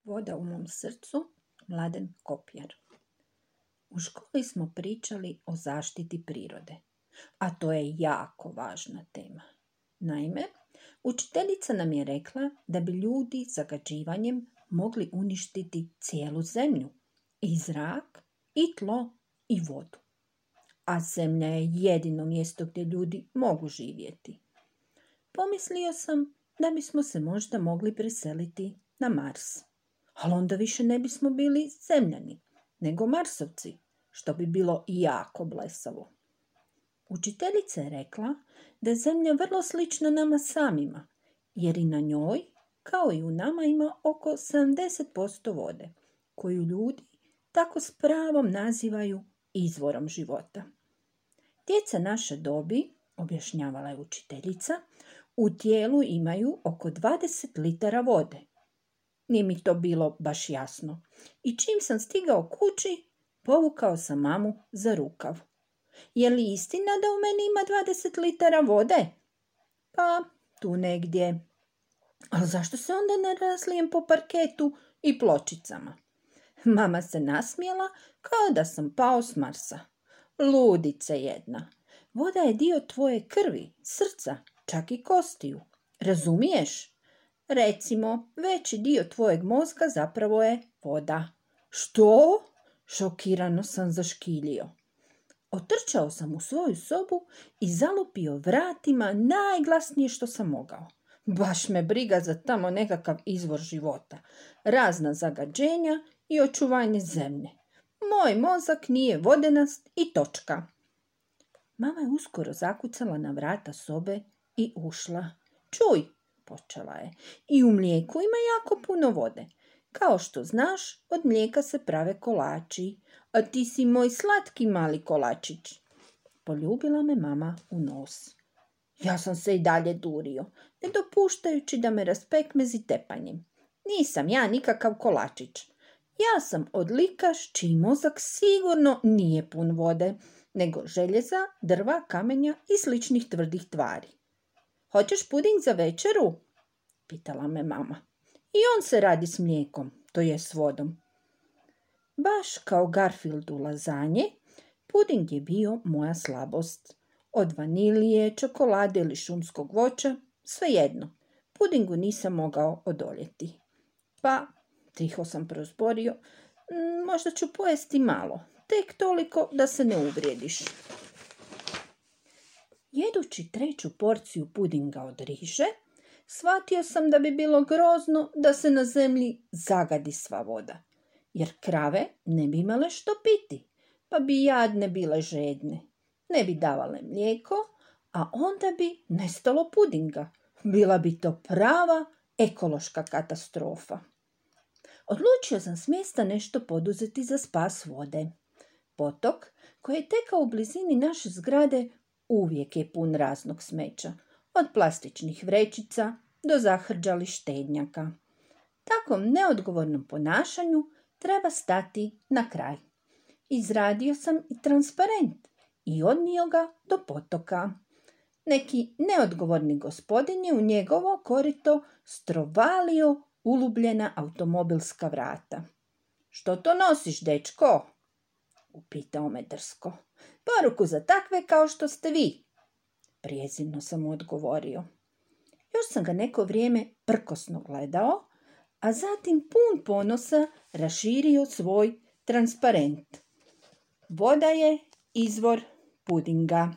Voda u mom srcu, Mladen Kopjar. U školi smo pričali o zaštiti prirode, a to je jako važna tema. Naime, učiteljica nam je rekla da bi ljudi zagađivanjem mogli uništiti cijelu zemlju, i zrak, i tlo, i vodu. A zemlja je jedino mjesto gdje ljudi mogu živjeti. Pomislio sam da bismo se možda mogli preseliti na Mars. Ali onda više ne bismo bili zemljani, nego Marsovci, što bi bilo jako blesavo. Učiteljica je rekla da je zemlja vrlo slična nama samima, jer i na njoj, kao i u nama, ima oko 70% vode, koju ljudi tako s pravom nazivaju izvorom života. Djeca naše dobi, objašnjavala je učiteljica, u tijelu imaju oko 20 litara vode. Nije mi to bilo baš jasno i čim sam stigao kući, povukao sam mamu za rukav. Je li istina da u meni ima 20 litara vode? Pa, tu negdje. Ali zašto se onda ne razlijem po parketu i pločicama? Mama se nasmijela kao da sam pao s Marsa. Ludice jedna. Voda je dio tvoje krvi, srca, čak i kostiju. Razumiješ? Recimo, veći dio tvojeg mozga zapravo je voda. Što? Šokirano sam zaškilio. Otrčao sam u svoju sobu i zalupio vratima najglasnije što sam mogao. Baš me briga za tamo nekakav izvor života, razna zagađenja i očuvanje zemlje. Moj mozak nije vodenast i točka. Mama je uskoro zakucala na vrata sobe i ušla. Čuj, počela je, i u mlijeku ima jako puno vode. Kao što znaš, od mlijeka se prave kolači, a ti si moj slatki mali kolačić. Poljubila me mama u nos. Ja sam se i dalje durio, ne dopuštajući da me raspekmezi tepanjem. Nisam ja nikakav kolačić. Ja sam odlikaš čiji mozak sigurno nije pun vode, nego željeza, drva, kamenja i sličnih tvrdih tvari. Hoćeš puding za večeru? Pitala me mama. I on se radi s mlijekom, to je s vodom. Baš kao Garfield u lazanje, puding je bio moja slabost. Od vanilije, čokolade ili šumskog voća, svejedno. Pudingu nisam mogao odoljeti. Pa, tiho sam prozborio, možda ću pojesti malo, tek toliko da se ne uvrijediš. Jedući 3. porciju pudinga od riže, shvatio sam da bi bilo grozno da se na zemlji zagadi sva voda, jer krave ne bi imale što piti, pa bi jadne bile žedne. Ne bi davale mlijeko, a onda bi nestalo pudinga. Bila bi to prava ekološka katastrofa. Odlučio sam s mjesta nešto poduzeti za spas vode. Potok, koji je tekao u blizini naše zgrade, uvijek je pun raznog smeća, od plastičnih vrećica do zahrđalih štednjaka. Takvom neodgovornom ponašanju treba stati na kraj. Izradio sam i transparent i odnio ga do potoka. Neki neodgovorni gospodin je u njegovo korito strovalio ulubljena automobilska vrata. Što to nosiš, dečko? Upitao me drsko. Poruku za takve kao što ste vi. Prijezirno sam mu odgovorio. Još sam ga neko vrijeme prkosno gledao, a zatim pun ponosa raširio svoj transparent. Voda je izvor pudinga.